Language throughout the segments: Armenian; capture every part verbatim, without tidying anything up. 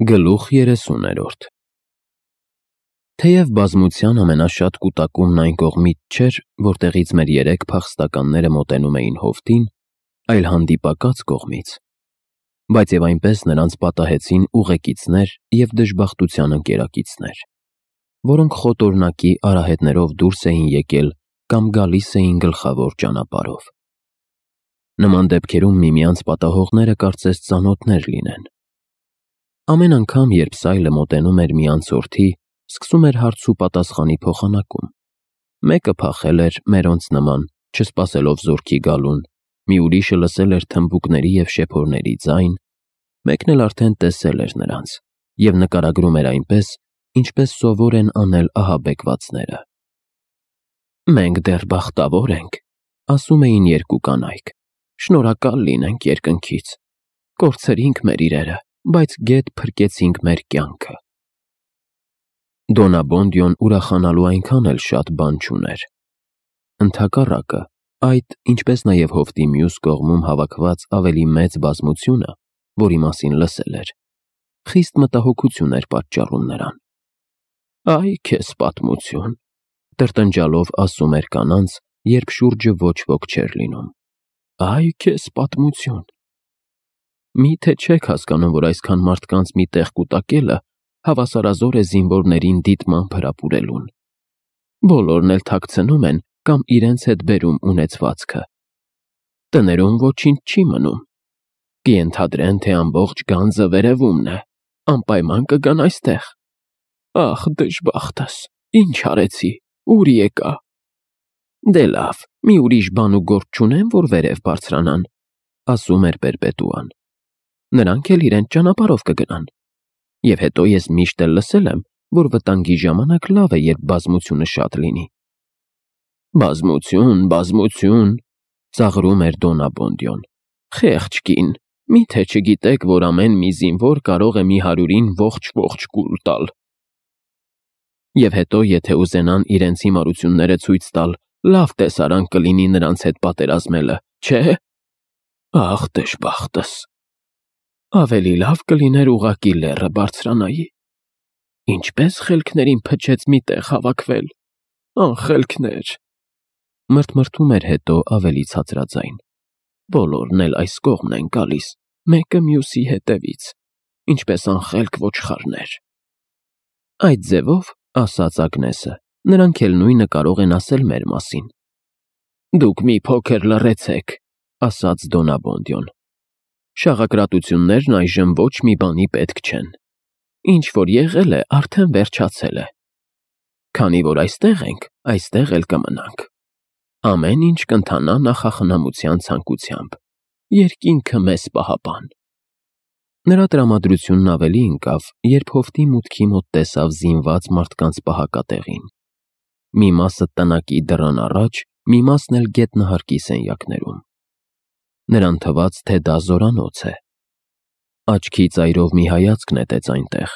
Գլուխ երեսուներորդ Թեև բազմության ամենաշատ կուտակումն այն կողմից չէր, որտեղից մեր երեք փախստականները մոտենում էին հովտին, այլ հանդիպակաց կողմից, բայց և այնպես նրանց պատահեցին ուղեկիցներ և դժբախտության ընկերակիցներ, որոնք խոտորնակի արահետներով դուրս էին եկել կամ գալիս էին գլխավոր ճանապարհով։ Նման դեպքերում միմյանց պատահողները կարծես ծանոթներ լինեն։ Ամեն անգամ, երբ սայլը մոտենում էր մի անցորդի, սկսում էր հարց ու պատասխանի փոխանակում։ Մեկը փախել էր մերոնց նման, չսպասելով զորքի գալուն, մի ուրիշը լսել էր թմբուկների և շեփորների ձայն, մեկն էլ արդեն տեսել էր նրանց և նկարագրում էր այնպես, ինչպես սովոր են անել ահաբեկվածները։ «Մենք դեռ բախտավոր ենք», ասում էին երկու կանայք, «շնորհակալ լինենք երկնքից։ Կորցրինք մեր իրերը, բայց գեթ փրկեցինք մեր կյանքը»։ Դոնաբոնդյոն ուրախանալու այնքան էլ շատ բան չուներ։ Ընդհակառակը, այդ, ինչպես նաև հովտի մյուս կողմում հավաքված ավելի մեծ բազմությունը, որի մասին լսել էր, խիստ մտահոգություն էր պատճառում նրան։ «Այ քեզ պատմություն», տրտնջալով ասում էր կանանց, երբ շուրջը ոչ ոք չէր լինում։ «Այ քեզ պատմություն։ Մի՞թե չեք հասկանում, որ այսքան մարդկանց մի տեղ կուտակելը հավասարազոր է զինվորներին դիտմամբ հրապուրելուն։ Բոլորն էլ թաքցնում են կամ իրենց հետ բերում ունեցվածքը։ Տներում ոչինչ չի մնում։ Կենթադրեն, թե ամբողջ գանձը վերևումն է, անպայման կգան այստեղ։ Ախ, դժբախտս, ինչ արեցի, ուր եկա։ Դե լավ, մի ուրիշ բան ու գործ չունեն, որ վերև բարձրանան», ասում էր Պերպետուան։ «Նրանք էլ իրենց ճանապարհով կգնան։ Եվ հետո ես միշտ էլ լսել եմ, որ վտանգի ժամանակ լավ է, երբ բազմությունը շատ լինի»։ «Բազմություն, բազմություն», ծաղրում էր Դոնաբոնդյոն։ «Խեղճ կին, մի՞թե չգիտեք, որ ամեն մի զինվոր կարող է մի հարյուրին ողջ-ողջ կուլ տալ։ Եվ հետո, եթե ուզենան իրենց հիմարությունները ցույց տալ, լավ տեսարան կլինի նրանց հետ պատերազմելը, չէ՞։ Ախ, դժբախտս։ Ավելի լավ կլիներ ուղղակի լեռը բարձրանայի։ Ինչպես խելքներին փչեց մի տեղ հավաքվել, անխելքներ», մրթմրթում էր հետո ավելի ցածրաձայն։ «Բոլորն էլ այս կողմն են գալիս, մեկը մյուսի հետևից, ինչպես անխելք ոչխարներ»։ «Այդ ձևով, ասաց Ագնեսը, նրանք էլ նույնը կարող են ասել մեր մասին»։ «Դուք մի փոքր լռեցեք», ասաց Դոնաբոնդյոն։ «Շաղակրատություններն այժմ ոչ մի բանի պետք չեն։ Ինչ որ եղել է, արդեն վերջացել է։ Քանի որ այստեղ ենք, այստեղ էլ կմնանք։ Ամեն ինչ կընթանա նախախնամության ցանկությամբ։ Երկինքը մեզ պահապան»։ Նրա տրամադրությունն ավելի ընկավ, երբ հովտի մուտքի մոտ տեսավ զինված մարդկանց պահակատեղին։ Մի մասը տնակի դռան առաջ, մի մասն էլ գետնահարկի սենյակներում։ Նրան թվաց, թե դա զորանոց է։ Աչքի ծայրով մի հայացք նետեց այնտեղ։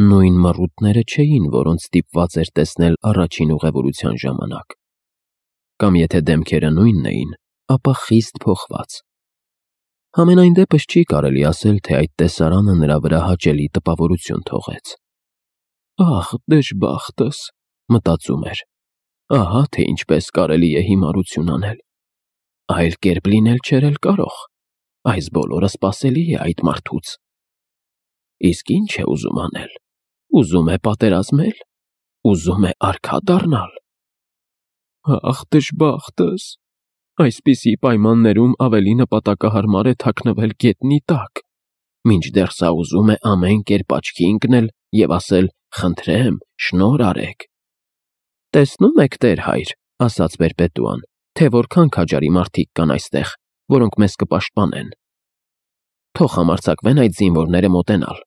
Նույն մռութները չէին, որոնց ստիպված էր տեսնել առաջին ուղևորության ժամանակ։ Կամ եթե դեմքերը նույնն էին, ապա խիստ փոխված։ Համենայն դեպս չի կարելի ասել, թե այդ տեսարանը նրա վրա հաճելի տպավորություն թողեց։ «Ախ, դժբախտս», մտածում էր, «ահա թե ինչպես կարելի է հիմարություն անել։ Այլ կերպ լինել չէր էլ կարող։ Այս բոլորը սպասելի է այդ մարդուց։ Իսկ ի՞նչ է ուզում անել։ Ուզում է պատերազմել։ Ուզում է արքա դառնալ։ Ախ, դժբախտս։ Այսպիսի պայմաններում ավելի նպատակահարմար է թաքնվել գետնի տակ, մինչդեռ սա ուզում է ամեն կերպ աչքի ընկնել և ասել. «Խնդրեմ, շնորհ արեք»։ «Տեսնում եք, տեր-հայր», ասաց Պերպետուան, «թե որքան քաջարի մարդիկ կան այստեղ, որոնք մեզ կպաշտպանեն։ Թող համարձակվեն այդ զինվորները մոտենալ։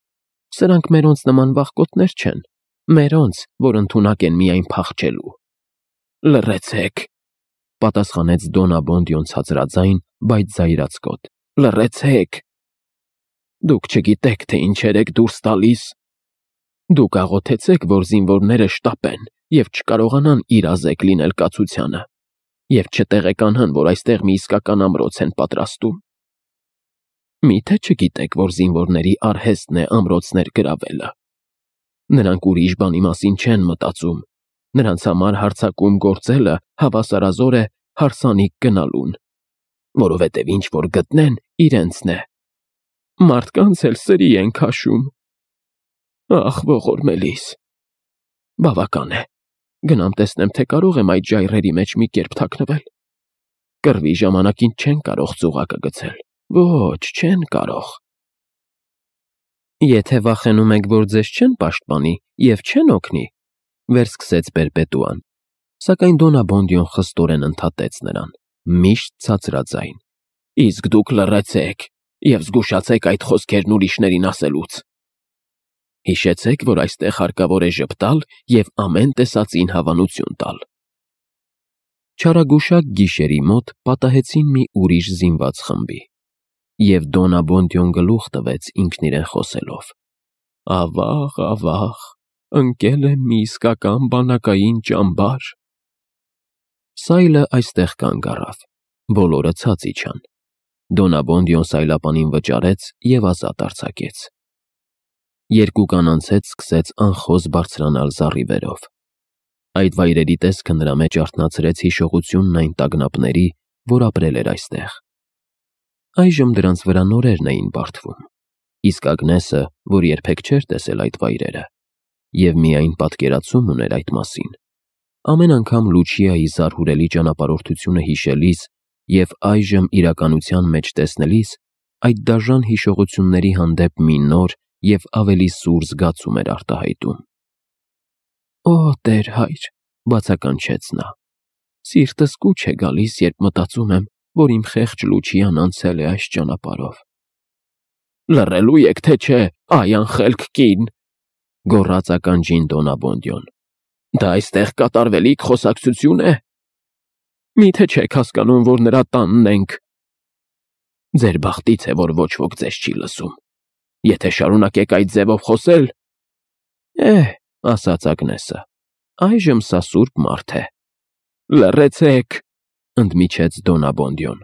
Սրանք մերոնց նման վախկոտներ չեն, մերոնց, որ ընդունակ են միայն փախչելու»։ «Լռեցեք», պատասխանեց Դոնաբոնդյոն ցածրաձայն, բայց զայրացկոտ։ «Լռեցեք։ Դուք չգիտեք, թե ինչեր եք դուրս տալիս։ Դուք աղոթեցեք, որ զինվորները շտապեն և չկարողանան իրազեկ լինել կացությանը, և չտեղեկանան, որ այստեղ մի իսկական ամրոց են պատրաստում։ Միթե չգիտեք, որ զինվորների արհեստն է ամրոցներ գրավելը։ Նրանք ուրիշ բանի մասին չեն մտածում, նրանց համար հարձակում գործելը հավասարազոր է հարսանիք գնալուն, որովհետև ինչ որ գտնեն, իրենցն է։ Մարդկանց էլ սրի են քաշում։ Ախ, ողորմելիս։ Բավական է, գնամ տեսնեմ, թե կարող եմ այդ ժայռերի մեջ մի կերպ թաքնվել։ Կռվի ժամանակին չեն կարող ծուղակը գցել, ոչ, չեն կարող։ Եթե վախենում եք, որ ձեզ չեն պաշտպանի և չեն օգնի, վերսկսեց Պերպետուան, սակայն Դոնաբոնդյոն խստորեն ընդհատեց նրան, միշտ ցածրաձայն. Իսկ դուք լռեցեք և զգուշացեք այդ խոսքերն ուրիշներին ասելուց։ Հիշեցեք, որ այստեղ հարկավոր է ժպտալ և ամեն տեսածին հավանություն տալ։ Չարագուշակ գիշերի մոտ պատահեցին մի ուրիշ զինված խմբի, և Դոնաբոնդյոն գլուխ տվեց ինքն իրեն խոսելով. Ավաղ, ավաղ, ընկել եմ մի իսկական բանակային ճամբար։ Սայլը այստեղ կանգ առավ, բոլորը ցած իջան։ Դոնաբոնդյոն սայլապանին վճարեց և ազատ արձակեց։ Երկու կանանց հետ սկսեց անխոզ բարձրանալ զառիվերով։ Այդ վայրերի տեսքը նրա մեջ արթնացրեց հիշողությունն այն տագնապների, որ ապրել էր այստեղ։ Այժմ դրանց վրա նորերն էին բարդվում, իսկ Ագնեսը, որ երբեք չէր տեսել այդ վայրերը, և միայն պատկերացում ուներ այդ մասին, ամեն անգամ Լուչիայի զարհուրելի ճանապարհորդությունը հիշելիս և այժմ իրականության մեջ տեսնելիս, այդ դաժան հիշողությունների հանդեպ մի նոր և ավելի սուր զգացում էր արտահայտում։ Օ, Տեր Հայր, բացականչեց նա, սիրտս կուչ է գալիս, երբ մտածում եմ, որ իմ խեղճ Լուչիան անցել է այս ճանապարհով։ Լռելու եք, թե չէ, այ անխելք կին, գոռաց ականջին Դոնաբոնդյոն։ Դա այստեղ կատարվելիք խոսակցություն է։ Միթե չեք հասկանում, որ նրա տանն ենք։ Ձեր բախտից է, որ ոչ ոք ձեզ չի լսում։ Եթե շարունակեք այդ ձևով խոսել… Էհ, ասաց Ագնեսը, այժմ սա սուրբ մարդ է։ Լռեցեք, ընդմիջեց Դոնաբոնդյոն։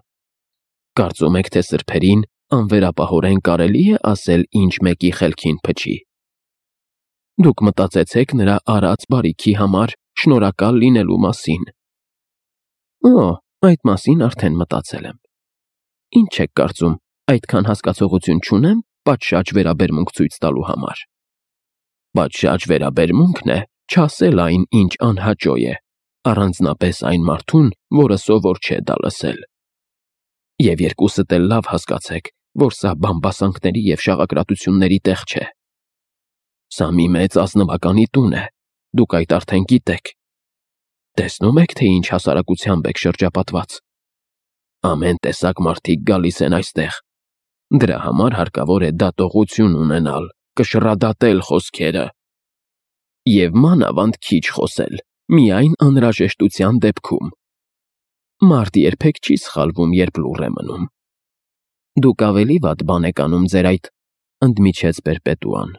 Կարծում եք, թե սրբերին անվերապահորեն կարելի է ասել ինչ մեկի խելքին փչի։ Դուք մտածեցեք նրա արած բարիքի համար շնորհակալ լինելու մասին։ Օ, այդ մասին արդեն մտածել եմ։ Ինչ եք կարծում, այդքան հասկացողություն չունեմ պատշաճ վերաբերմունք ցույց տալու համար։ Պատշաճ վերաբերմունքն է չասել այն, ինչ անհաճո է, առանձնապես այն մարդուն, որը սովոր չէ դա լսել։ Եվ երկուսդ էլ լավ հասկացեք, որ սա բամբասանքների և շաղակրատությունների տեղ չէ։ Սա մի մեծ ազնվականի տուն է, դուք այդ արդեն գիտեք։ Տեսնում եք, թե ինչ հասարակությամբ եք շրջապատված։ Ամեն տեսակ մարդիկ գալիս են այստեղ։ Դրա համար հարկավոր է դատողություն ունենալ, կշռադատել խոսքերը։ Եվ մանավանդ քիչ խոսել, միայն անհրաժեշտության դեպքում։ Մարդ երբեք չի սխալվում, երբ լուռ է մնում։ Դուք ավելի վատ բան եք անում ձեր այդ… ընդմիջեց Պերպետուան։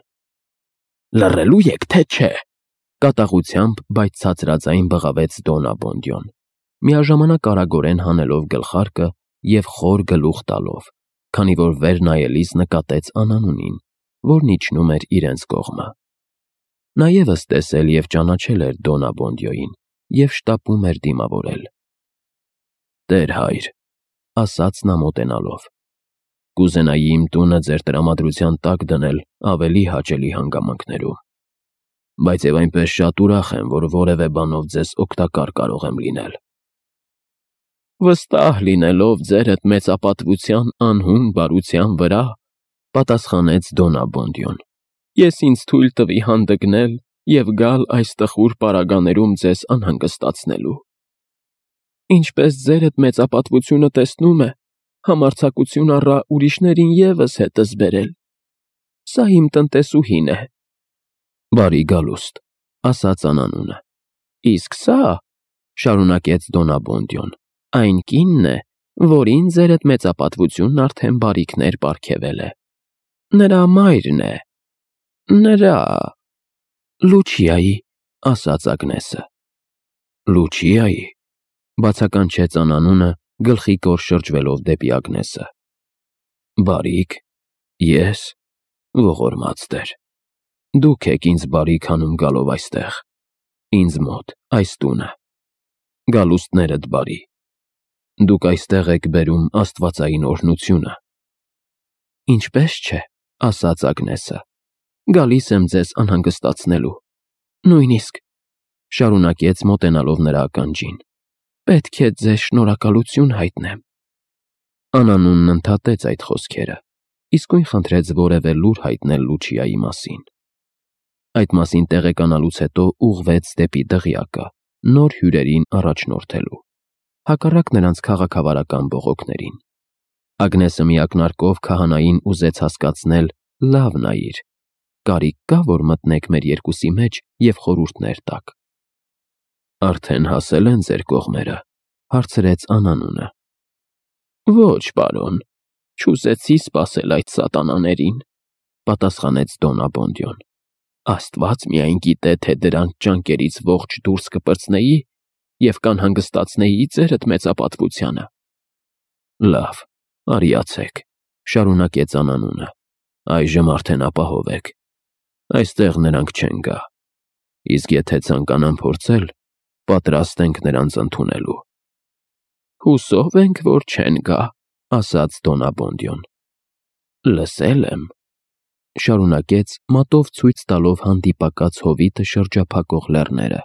Լռելու եք, թե չէ, կատաղությամբ, բայց ցածրաձայն բղավեց Դոնաբոնդյոն, միաժամանակ արագորեն հանելով գլխարկը և խոր գլուխ տալով, քանի որ վեր նայելիս նկատեց Անանունին, որն իջնում էր իրենց կողմը։ Նա ևս տեսել և ճանաչել էր Դոնաբոնդյոին և շտապում էր դիմավորել։ Տեր Հայր, ասաց նա մոտենալով, կուզենայի իմ տունը ձեր տրամադրության տակ դնել ավելի հաճելի հանգամանքներում, բայց և այնպես շատ ուրախ եմ, որ որևէ բանով ձեզ օգտակար կարող եմ լինել։ Վստահ լինելով ձերդ մեծապատվության անհուն բարության վրա, պատասխանեց Դոնաբոնդյոն, ես ինձ թույլ տվի հանդգնել և գալ այս տխուր պարագաներում ձեզ անհանգստացնելու։ Ինչպես ձերդ մեծապատվությունը տեսնում է, համարձակություն առա ուրիշներին ևս հետս բերել։ Սա իմ տնտեսուհին է։ Բարի գալուստ, ասաց Անանունը։ Իսկ սա, շարունակեց Դոնաբոնդյոն, այն կինն է, որին ձերդ մեծապատվությունն արդեն բարիքներ պարգևել է։ Նրա մայրն է։ Նրա… Լուչիայի, ասաց Ագնեսը։ Լուչիայի… բացականչեց Անանունը, գլխի կոր շրջվելով դեպի Ագնեսը։ Բարիք, ես, ողորմած Տեր, դուք եք ինձ բարիք անում գալով այստեղ, ինձ մոտ, այս տունը, գալուստներդ բարի, դուք այստեղ եք բերում աստվածային օրհնությունը։ Ինչպես չէ, ասաց Ագնեսը, գալիս եմ ձեզ անհանգստացնելու, նույնիսկ, շարունակեց մոտենալով նրա ականջին, պետք է ձեզ շնորհակալություն հայտնեմ։ Անանունն ընդհատեց այդ խոսքերը, իսկույն խնդրեց որևէ լուր հայտնել Լուչիայի մասին։ Այդ մասին տեղեկանալուց հետո ուղղվեց դեպի դղյակը, նոր հյուրերին առաջնորդելու, հակառակ նրանց քաղաքավարական բողոքներին։ Ագնեսը մի ակնարկով քահանային ուզեց հասկացնել. լավ նայիր, կարիք կա, որ մտնեք մեր երկուսի մեջ և խորհուրդներ տաք։ Արդեն հասել են ձեր կողմերը, հարցրեց Անանունը։ Ոչ, պարոն, չուզեցի սպասել այդ սատանաներին, պատասխանեց Դոն Աբոնդիոն։ Աստված միայն գիտե, թե դրանց ճանկերից ողջ դուրս կպրծնեի և կանհանգստացնեի ձերդ մեծապատվությանը։ Լավ, արիացեք, շարունակեց Անանունը, այժմ արդեն ապահով եք, այստեղ նրանք չեն գա, իսկ եթե ցանկանան փորձել, պատրաստ ենք նրանց ընդունելու։ Հուսով ենք, որ չեն գա, ասաց Դոն Աբոնդիոն։ Լսել եմ, շարունակեց մատով ցույց տալով հանդիպակաց հովիտը շրջափակող լեռները։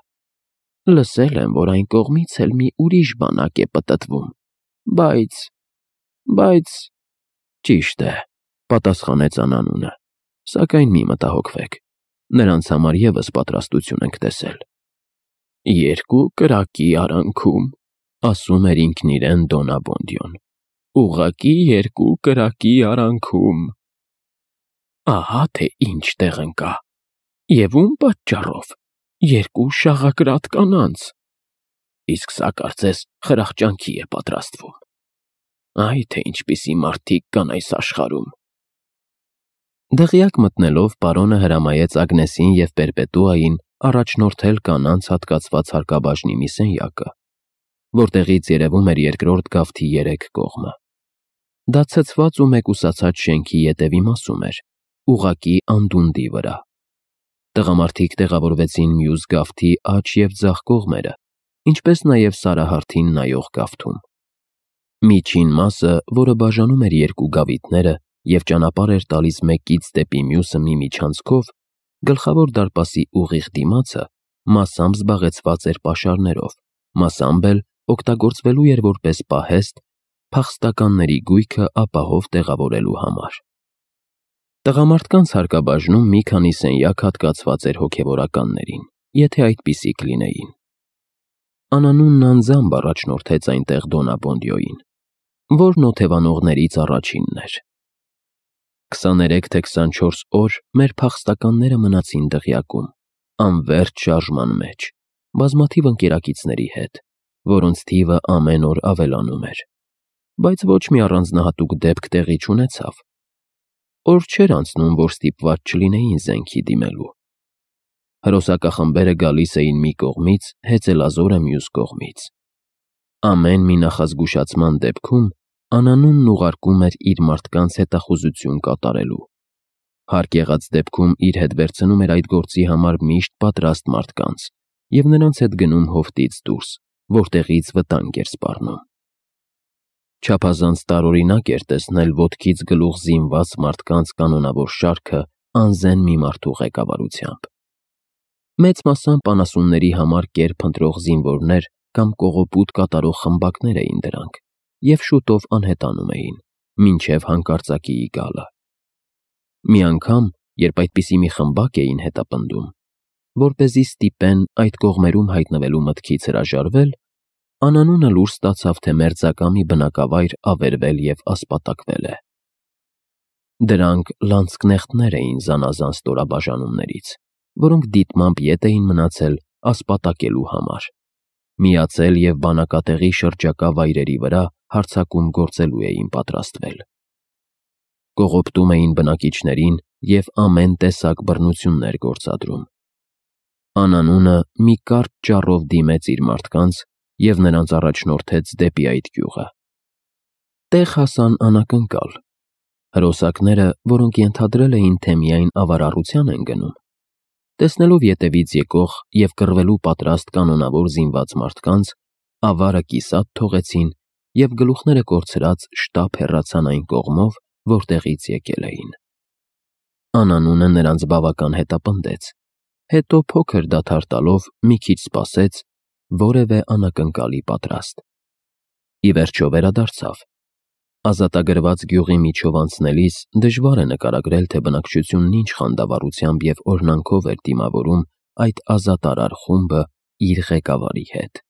Լսել եմ, որ այն կողմից էլ մի ուրիշ բանակ է պտտվում, բայց, բայց, ճիշտ է, պատասխանեց Անանունը, սակայն մի մտահոգվեք, նրանց համար ևս պատրաստություն ենք տեսել։ Երկու կրակի արանքում, ասում էր ինքն իրեն Դոն Աբոնդիոն, ուղղակի երկու կրակի արանքում։ Ահա թե ինչ տեղ ընկա, և ում պատճառով, երկու շաղակրատ կանանց։ Իսկ սա կարծես խրախճանքի է պատրաստվում։ Այ թե ինչպիսի մարդիկ կան այս աշխարհում։ Դղյակ մտնելով պարոնը հրամայեց Ագնեսին և Պերպետուային առաջնորդել կանանց հատկացված հարկաբաժնի մի սենյակը, որտեղից երևում էր երկրորդ գավթի երեք կողմը։ Դա ցցված ու մեկուսացած շենքի ետևի մասում էր, ուղղակի անդունդի վրա։ Տղամարդիկ տեղավորվեցին մյուս գավթի աջ և ձախ կողմերը, ինչպես նաև սարահարթին նայող գավթում։ Միջին մասը, որը բաժանում էր երկու գավիթները և ճանապարհ էր տալիս մեկից դեպի մյուսը մի միջանցքով, գլխավոր դարպասի ուղիղ դիմացը մասամբ զբաղեցված էր պաշարներով, մասամբ էլ օգտագործվելու էր որպես պահեստ փախստականների գույքը ապահով տեղավորելու համար։ Տղամարդկանց հարկաբաժնում մի քանի սենյակ հատկացված էր հոգևորականներին, եթե այդպիսիք լինեին։ Անանունն անձամբ առաջնորդեց այնտեղ Դոն Աբոնդիոին, որն օթևանողներից առաջինն էր։ Քսաներեք թե քսանչորս օր մեր փախստականները մնացին դղյակում, անվերջ շարժման մեջ, բազմաթիվ ընկերակիցների հետ, որոնց թիվը ամեն օր ավելանում էր, բայց ոչ մի առանձնահատուկ դեպք տեղի չունեցավ։ Օր չէր անցնում, որ ստիպված չլինեին զենքի դիմելու։ Հրոսակախմբերը գալիս էին մի կողմից, հեծելազորը մյուս կողմից։ Ամեն մի նախազգուշացման դեպքում Անանունն ուղարկում էր իր մարդկանց հետախուզություն կատարելու։ Հարկ եղած դեպքում իր հետ վերցնում էր այդ գործի համար միշտ պատրաստ մարդկանց և նրանց հետ գնում հովտից դուրս, որտեղից վտանգ էր սպառնում։ Չափազանց տարօրինակ էր տեսնել ոտքից գլուխ զինված մարդկանց կանոնավոր շարքը անզեն մի մարդու ղեկավարությամբ։ Մեծ մասամբ անասունների համար կեր փնտրող զինվորներ կամ կողոպուտ կատարող խմբակներ էին դրանք և շուտով անհետանում էին, մինչև հանկարծակիի գալը։ Մի անգամ, երբ այդպիսի մի խմբակ էին հետապնդում, որպեսզի ստիպեն այդ կողմերում հայտնվելու մտքից հրաժարվել, Անանունը լուր ստացավ, թե մերձակա մի բնակավայր ավերվել և ասպատակվել է։ Դրանք լանցկնեխտներ էին զանազան ստորաբաժանումներից, որոնք դիտմամբ ետ էին մնացել ասպատակելու համար, միացել և բանակատեղի շրջակա վայրերի վրա հարձակում գործելու էին պատրաստվել։ Կողոպտում էին բնակիչներին և ամեն տեսակ բռնություններ գործադրում։ Անանունը մի կարճ ճառով դիմեց իր մարդկանց և նրանց առաջնորդեց դեպի այդ գյուղը։ Տեղ հասան անակնկալ, Հրոսակները, որոնք ենթադրել էին, թե միայն ավարառության են գնում, տեսնելով ետևից եկող և կռվելու պատրաստ կանոնավոր զինված մարդկանց, ավարը կիսատ թողեցին և գլուխները կորցրած շտապ հեռացան այն կողմով, որտեղից եկել էին։ Անանունը նրանց բավական հետապնդեց, հետո փոքր դադար տալով մի քիչ սպասեց, որևէ անակնկալի պատրաստ։ Ի վերջո վերադարձավ։ Ազատագրված գյուղի միջով անցնելիս դժվար է նկարագրել, թե բնակչությունն ինչ խանդավառությամբ և օրնանքով էր դիմավորում այդ ազատարար խումբը իր ղեկավարի հետ։